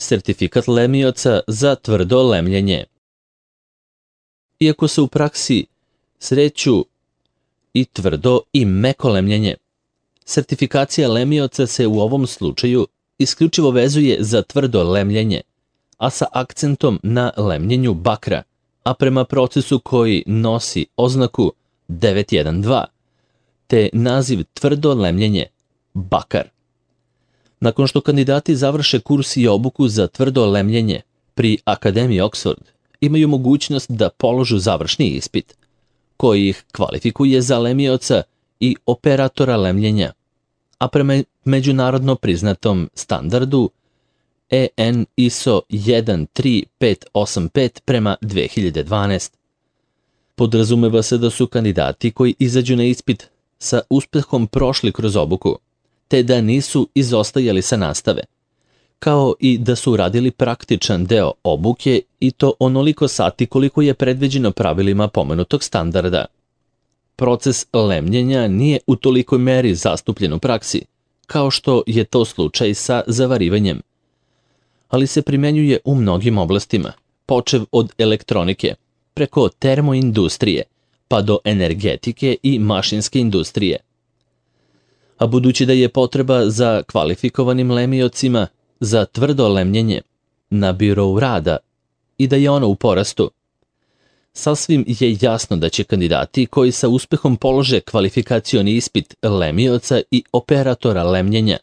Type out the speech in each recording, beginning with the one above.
sertifikat lemioca za tvrdo lemljenje. Iako se u praksi sreću i tvrdo i meko lemljenje, sertifikacija lemioca se u ovom slučaju isključivo vezuje za tvrdo lemljenje, a sa akcentom na lemljenju bakra, a prema procesu koji nosi oznaku 912, te naziv tvrdo lemljenje bakar. Nakon što kandidati završe kurs i obuku za tvrdo lemljenje pri Akademiji Oxford, imaju mogućnost da položu završni ispit, koji ih kvalifikuje za lemioca i operatora lemljenja, a prema međunarodno priznatom standardu EN ISO 13585 prema 2012. Podrazumeva se da su kandidati koji izađu na ispit sa uspehom prošli kroz obuku, te da nisu izostajali sa nastave, kao i da su radili praktičan deo obuke i to onoliko sati koliko je predviđeno pravilima pomenutog standarda. Proces lemljenja nije u tolikoj meri zastupljen u praksi, kao što je to slučaj sa zavarivanjem, ali se primenjuje u mnogim oblastima, počev od elektronike, preko termoindustrije, pa do energetike i mašinske industrije. A budući da je potreba za kvalifikovanim lemiocima za tvrdo lemljenje na birou rada i da je ono u porastu, sasvim je jasno da će kandidati koji sa uspehom polože kvalifikacioni ispit lemioca i operatora lemljenja,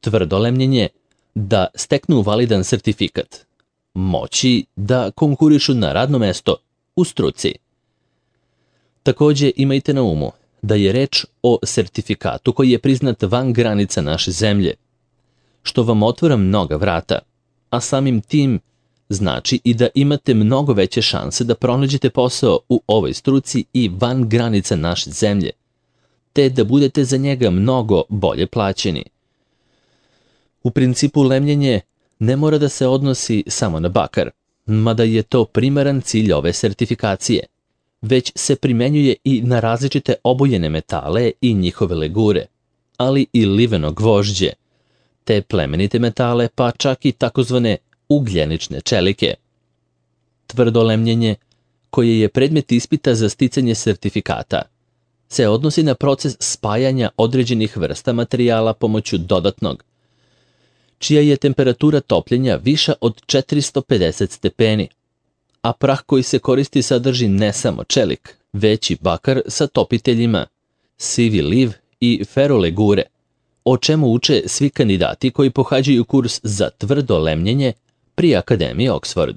tvrdo lemljenje, da steknu validan sertifikat, moći da konkurišu na radno mesto u struci. Takođe imajte na umu da je reč o sertifikatu koji je priznat van granica naše zemlje, što vam otvara mnoga vrata, a samim tim znači i da imate mnogo veće šanse da pronađete posao u ovoj struci i van granica naše zemlje, te da budete za njega mnogo bolje plaćeni. U principu lemljenje ne mora da se odnosi samo na bakar, mada je to primaran cilj ove sertifikacije, već se primenjuje i na različite obojene metale i njihove legure, ali i liveno gvožđe, te plemenite metale, pa čak i takozvane ugljenične čelike. Tvrdo lemljenje, koje je predmet ispita za sticanje sertifikata, se odnosi na proces spajanja određenih vrsta materijala pomoću dodatnog, čija je temperatura topljenja viša od 450 stepeni, a prah koji se koristi sadrži ne samo čelik, već i bakar sa topiteljima, sivi liv i ferolegure, o čemu uče svi kandidati koji pohađaju kurs za tvrdo lemljenje pri Akademiji Oxford.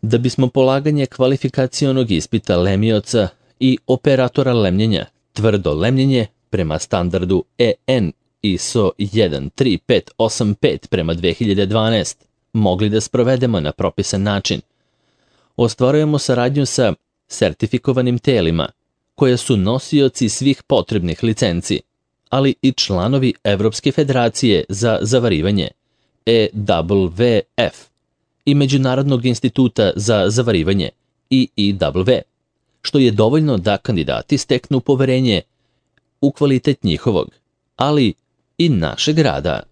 Da bismo polaganje kvalifikacionog ispita lemioca i operatora lemljenja, tvrdo lemljenje prema standardu EN ISO 13585 prema 2012 mogli da sprovedemo na propisan način, ostvarujemo saradnju sa sertifikovanim telima, koje su nosioci svih potrebnih licenci, ali i članovi Evropske federacije za zavarivanje, EWF, i Međunarodnog instituta za zavarivanje, EEW, što je dovoljno da kandidati steknu poverenje u kvalitet njihovog, ali i našeg rada.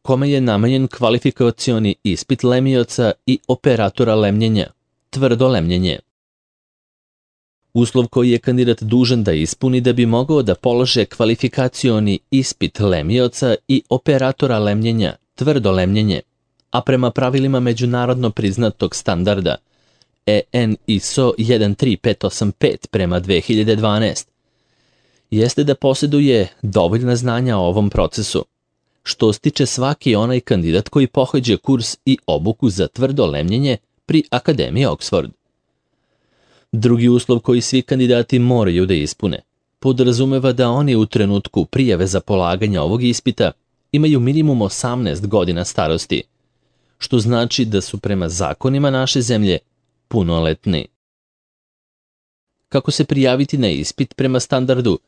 Kome je namenjen kvalifikacioni ispit lemioca i operatora lemljenja, tvrdo lemljenje? Uslov koji je kandidat dužan da ispuni da bi mogao da polože kvalifikacioni ispit lemioca i operatora lemljenja, tvrdo lemljenje, a prema pravilima međunarodno priznatog standarda EN ISO 13585 prema 2012, jeste da posjeduje dovoljna znanja o ovom procesu, što stiče svaki onaj kandidat koji pohađa kurs i obuku za tvrdo lemljenje pri Akademiji Oxford. Drugi uslov koji svi kandidati moraju da ispune podrazumeva da oni u trenutku prijave za polaganje ovog ispita imaju minimum 18 godina starosti, što znači da su prema zakonima naše zemlje punoletni. Kako se prijaviti na ispit prema standardu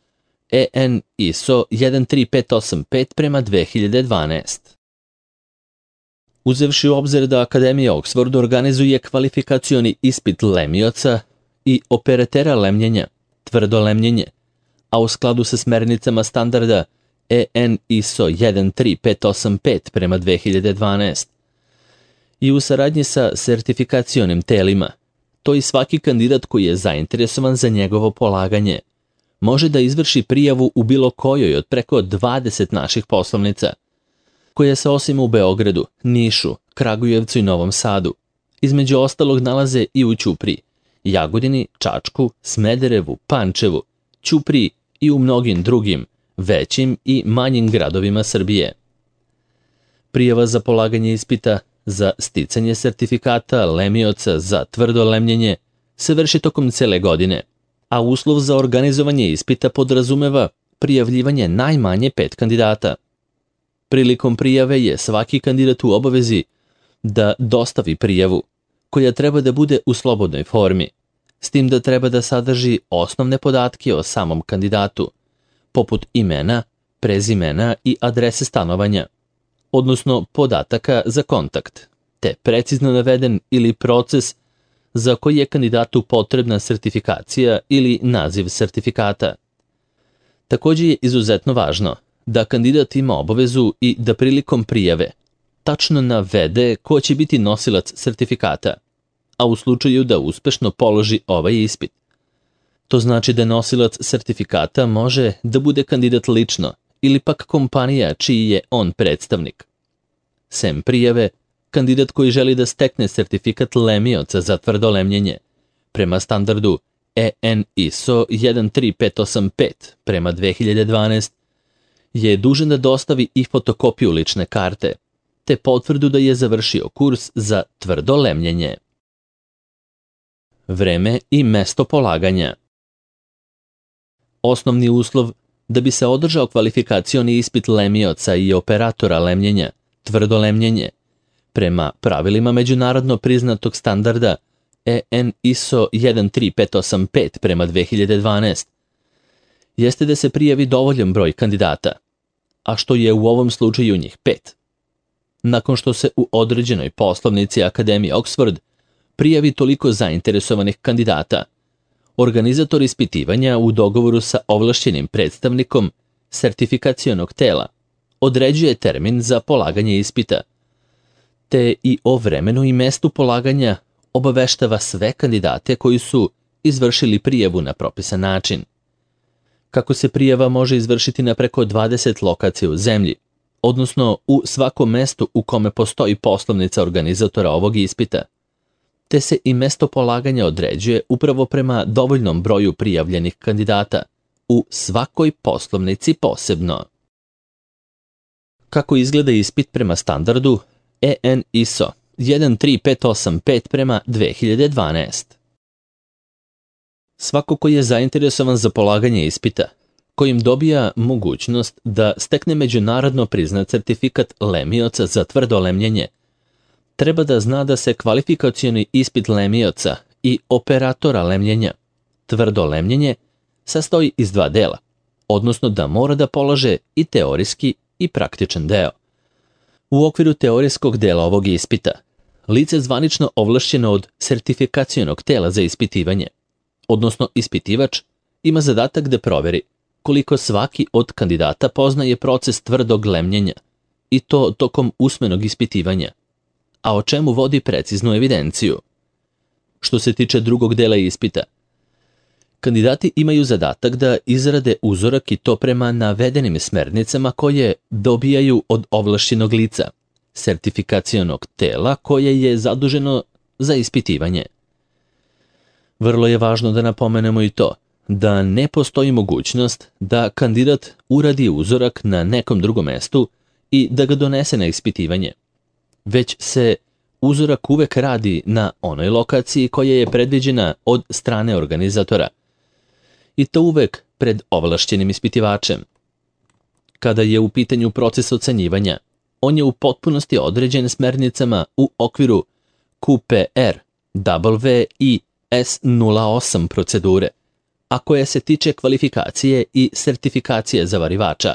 EN ISO 13585 prema 2012? Uzevši u obzir da Akademija Oxford organizuje kvalifikacioni ispit lemioca i operatera lemljenja, tvrdo lemljenje, a u skladu sa smernicama standarda EN ISO 13585 prema 2012. I u saradnji sa sertifikacionim telima, to i svaki kandidat koji je zainteresovan za njegovo polaganje može da izvrši prijavu u bilo kojoj od preko 20 naših poslovnica, koje se osim u Beogradu, Nišu, Kragujevcu i Novom Sadu, između ostalog nalaze i u Ćupriji, Jagodini, Čačku, Smederevu, Pančevu, Ćupriji i u mnogim drugim, većim i manjim gradovima Srbije. Prijava za polaganje ispita za sticanje sertifikata lemioca za tvrdo lemljenje se vrši tokom cele godine, a uslov za organizovanje ispita podrazumeva prijavljivanje najmanje 5 kandidata. Prilikom prijave je svaki kandidat u obavezi da dostavi prijavu, koja treba da bude u slobodnoj formi, s tim da treba da sadrži osnovne podatke o samom kandidatu, poput imena, prezimena i adrese stanovanja, odnosno podataka za kontakt, te precizno naveden ili proces za koji je kandidatu potrebna sertifikacija ili naziv sertifikata. Također je izuzetno važno da kandidat ima obavezu i da prilikom prijave tačno navede ko će biti nosilac sertifikata, a u slučaju da uspešno položi ovaj ispit. To znači da nosilac sertifikata može da bude kandidat lično ili pak kompanija čiji je on predstavnik. Sem prijave, kandidat koji želi da stekne sertifikat lemioca za tvrdo lemljenje prema standardu EN ISO 13585 prema 2012 je dužan da dostavi i fotokopiju lične karte, te potvrdu da je završio kurs za tvrdo lemljenje. Vreme i mesto polaganja. Osnovni uslov da bi se održao kvalifikacioni ispit lemioca i operatora lemljenja, tvrdo lemljenje, prema pravilima međunarodno priznatog standarda EN ISO 13585 prema 2012, jeste da se prijavi dovoljan broj kandidata, a što je u ovom slučaju njih 5. Nakon što se u određenoj poslovnici Akademije Oxford prijavi toliko zainteresovanih kandidata, organizator ispitivanja u dogovoru sa ovlašćenim predstavnikom sertifikacionog tela određuje termin za polaganje ispita, te i o vremenu i mestu polaganja obaveštava sve kandidate koji su izvršili prijavu na propisan način. Kako se prijava može izvršiti na preko 20 lokacija u zemlji, odnosno u svakom mestu u kome postoji poslovnica organizatora ovog ispita, te se i mesto polaganja određuje upravo prema dovoljnom broju prijavljenih kandidata u svakoj poslovnici posebno. Kako izgleda ispit prema standardu EN ISO 13585 prema 2012? Svako ko je zainteresovan za polaganje ispita, kojim dobija mogućnost da stekne međunarodno priznat certifikat lemioca za tvrdo lemljenje, treba da zna da se kvalifikacioni ispit lemioca i operatora lemljenja, tvrdo lemljenje, sastoji iz 2 dela, odnosno da mora da polaže i teorijski i praktičan deo. U okviru teorijskog dela ovog ispita, lice zvanično ovlašćeno od sertifikacionog tela za ispitivanje, odnosno ispitivač, ima zadatak da proveri koliko svaki od kandidata poznaje proces tvrdog lemljenja, i to tokom usmenog ispitivanja, a o čemu vodi preciznu evidenciju. Što se tiče drugog dela ispita, kandidati imaju zadatak da izrade uzorak i to prema navedenim smernicama koje dobijaju od ovlašćenog lica, sertifikacionog tela koje je zaduženo za ispitivanje. Vrlo je važno da napomenemo i to da ne postoji mogućnost da kandidat uradi uzorak na nekom drugom mestu i da ga donese na ispitivanje, već se uzorak uvek radi na onoj lokaciji koja je predviđena od strane organizatora, i to uvek pred ovlašćenim ispitivačem. Kada je u pitanju proces ocenjivanja, on je u potpunosti određen smernicama u okviru QPR, W i S08 procedure, a koja se tiče kvalifikacije i sertifikacije zavarivača.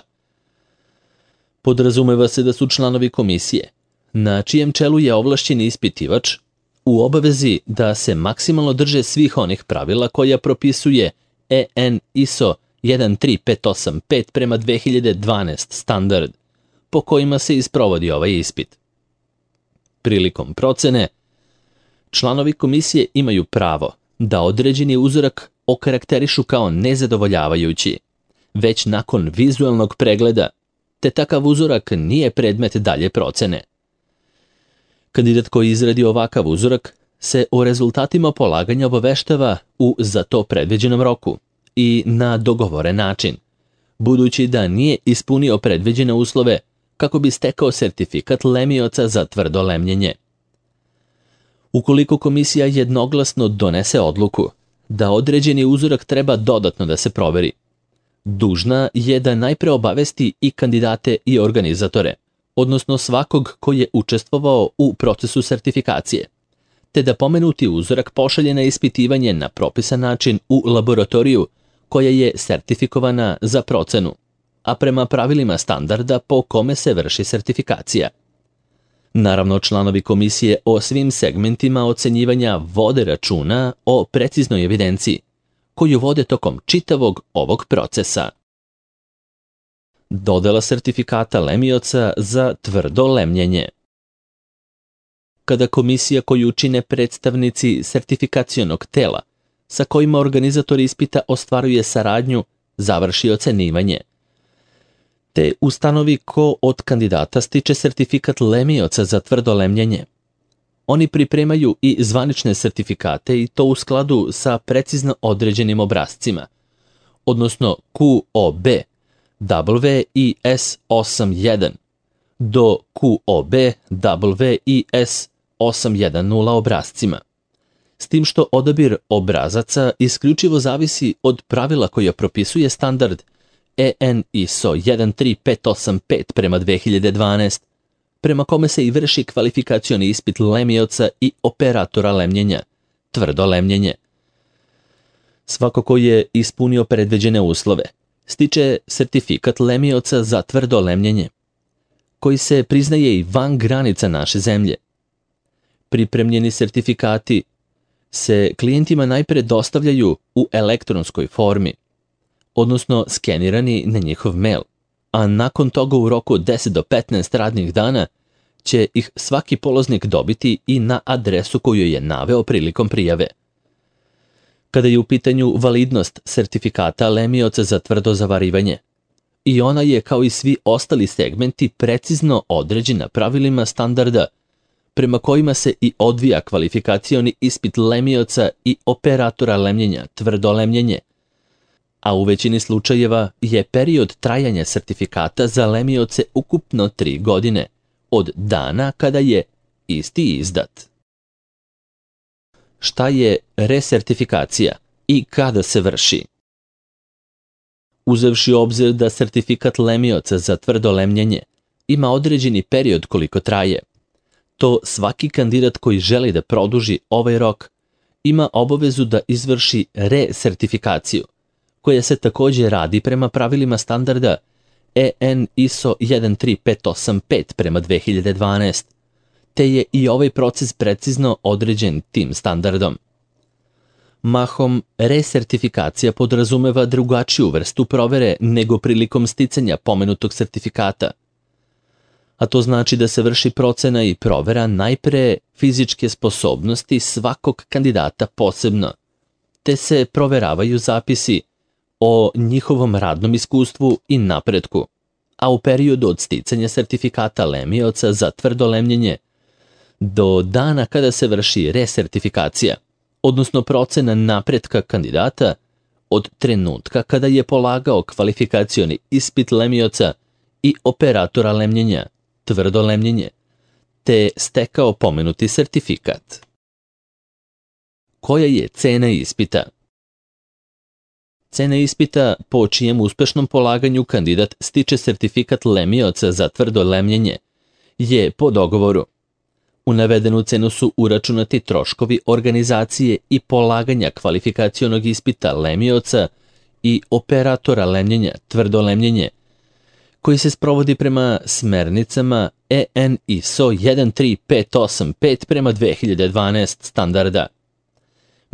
Podrazumeva se da su članovi komisije, na čijem čelu je ovlašćeni ispitivač, u obavezi da se maksimalno drže svih onih pravila koja propisuje EN ISO 13585 prema 2012 standard, po kojima se isprovodi ovaj ispit. Prilikom procene, članovi komisije imaju pravo da određeni uzorak okarakterišu kao nezadovoljavajući, već nakon vizualnog pregleda, te takav uzorak nije predmet dalje procene. Kandidat koji izradi ovakav uzorak se o rezultatima polaganja obaveštava u za to predviđenom roku i na dogovoren način, budući da nije ispunio predviđene uslove kako bi stekao sertifikat lemioca za tvrdo lemljenje. Ukoliko komisija jednoglasno donese odluku da određeni uzorak treba dodatno da se proveri, dužna je da najpre obavesti i kandidate i organizatore, odnosno svakog ko je učestvovao u procesu sertifikacije, te da pomenuti uzorak pošalje na ispitivanje na propisan način u laboratoriju koja je sertifikovana za procenu, a prema pravilima standarda po kome se vrši sertifikacija. Naravno, članovi komisije o svim segmentima ocenjivanja vode računa o preciznoj evidenciji, koju vode tokom čitavog ovog procesa. Dodela sertifikata lemioca za tvrdo lemljenje. Kada komisija koju čine predstavnici sertifikacionog tela, sa kojima organizator ispita ostvaruje saradnju, završi ocenjivanje, te ustanovi ko od kandidata stiče sertifikat lemioca za tvrdo lemljenje. Oni pripremaju i zvanične sertifikate i to u skladu sa precizno određenim obrascima, odnosno QOB, WIS 81 do QOB, WIS 810 obrascima. S tim što odabir obrazaca isključivo zavisi od pravila koja propisuje standard EN ISO 13585 prema 2012, prema kome se i vrši kvalifikacioni ispit lemioca i operatora lemljenja, tvrdo lemljenje. Svako ko je ispunio predviđene uslove, stiče sertifikat lemioca za tvrdo lemljenje, koji se priznaje i van granica naše zemlje. Pripremljeni sertifikati se klijentima najpre dostavljaju u elektronskoj formi, odnosno skenirani na njihov mail, a nakon toga u roku 10 do 15 radnih dana će ih svaki polaznik dobiti i na adresu koju je naveo prilikom prijave. Kada je u pitanju validnost sertifikata lemioca za tvrdo zavarivanje, i ona je kao i svi ostali segmenti precizno određena pravilima standarda prema kojima se i odvija kvalifikacioni ispit lemioca i operatora lemljenja, tvrdo lemljenje, a u većini slučajeva je period trajanja sertifikata za lemioce ukupno 3 godine, od dana kada je isti izdat. Šta je resertifikacija i kada se vrši? Uzevši u obzir da sertifikat lemioca za tvrdo lemljenje ima određeni period koliko traje, to svaki kandidat koji želi da produži ovaj rok ima obavezu da izvrši resertifikaciju, koja se također radi prema pravilima standarda EN ISO 13585 prema 2012, te je i ovaj proces precizno određen tim standardom. Mahom, resertifikacija podrazumeva drugačiju vrstu provere nego prilikom sticanja pomenutog sertifikata, a to znači da se vrši procena i provera najpre fizičke sposobnosti svakog kandidata posebno, te se proveravaju zapisi o njihovom radnom iskustvu i napretku, a u periodu od sticanja sertifikata lemioca za tvrdo lemljenje do dana kada se vrši resertifikacija, odnosno procena napretka kandidata od trenutka kada je polagao kvalifikacioni ispit lemioca i operatora lemljenja, tvrdo lemljenje, te stekao pomenuti sertifikat. Koja je cena ispita? Cena ispita po čijem uspešnom polaganju kandidat stiče sertifikat lemioca za tvrdo lemljenje je po dogovoru. U navedenu cenu su uračunati troškovi organizacije i polaganja kvalifikacionog ispita lemioca i operatora lemljenja, tvrdo lemljenje, koji se sprovodi prema smernicama EN ISO 13585 prema 2012 standarda.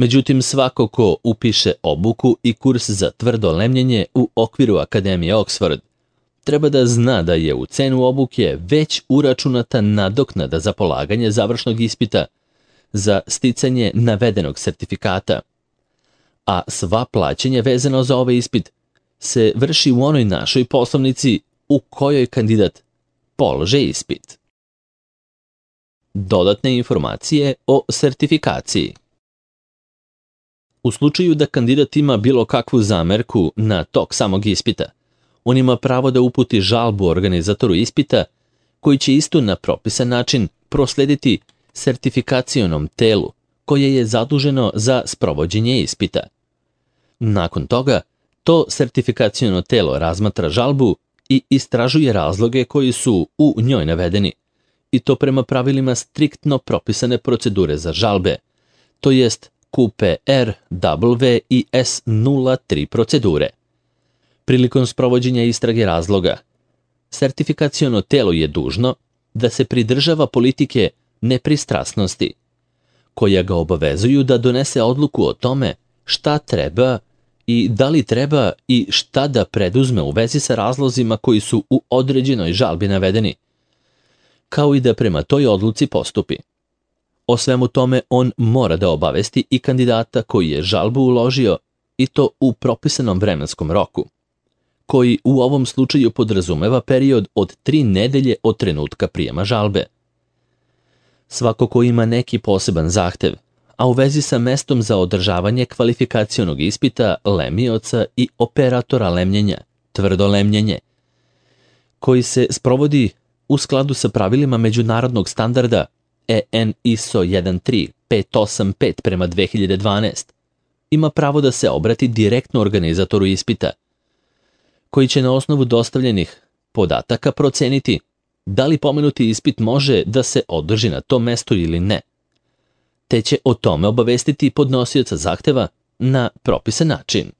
Međutim, svako ko upiše obuku i kurs za tvrdo lemljenje u okviru Akademije Oxford treba da zna da je u cenu obuke već uračunata nadoknada za polaganje završnog ispita za sticanje navedenog sertifikata, a sva plaćanja vezano za ovaj ispit se vrši u onoj našoj poslovnici u kojoj kandidat polaže ispit. Dodatne informacije o sertifikaciji. U slučaju da kandidat ima bilo kakvu zamerku na tok samog ispita, on ima pravo da uputi žalbu organizatoru ispita, koji će isto na propisan način proslediti sertifikacionom telu koje je zaduženo za sprovođenje ispita. Nakon toga, to sertifikaciono telo razmatra žalbu i istražuje razloge koji su u njoj navedeni, i to prema pravilima striktno propisane procedure za žalbe, to jest QPR, W i S03 procedure. Prilikom sprovođenja istrage razloga, sertifikaciono telo je dužno da se pridržava politike nepristrasnosti, koja ga obavezuju da donese odluku o tome šta treba i da li treba i šta da preduzme u vezi sa razlozima koji su u određenoj žalbi navedeni, kao i da prema toj odluci postupi. O svemu tome on mora da obavesti i kandidata koji je žalbu uložio, i to u propisanom vremenskom roku, koji u ovom slučaju podrazumeva period od 3 nedelje od trenutka prijema žalbe. Svako ko ima neki poseban zahtev, a u vezi sa mestom za održavanje kvalifikacionog ispita lemioca i operatora lemljenja, tvrdo lemljenje, koji se sprovodi u skladu sa pravilima međunarodnog standarda EN ISO 13585 prema 2012, ima pravo da se obrati direktno organizatoru ispita, koji će na osnovu dostavljenih podataka proceniti da li pomenuti ispit može da se održi na tom mestu ili ne, te će o tome obavestiti podnosioca zahteva na propisan način.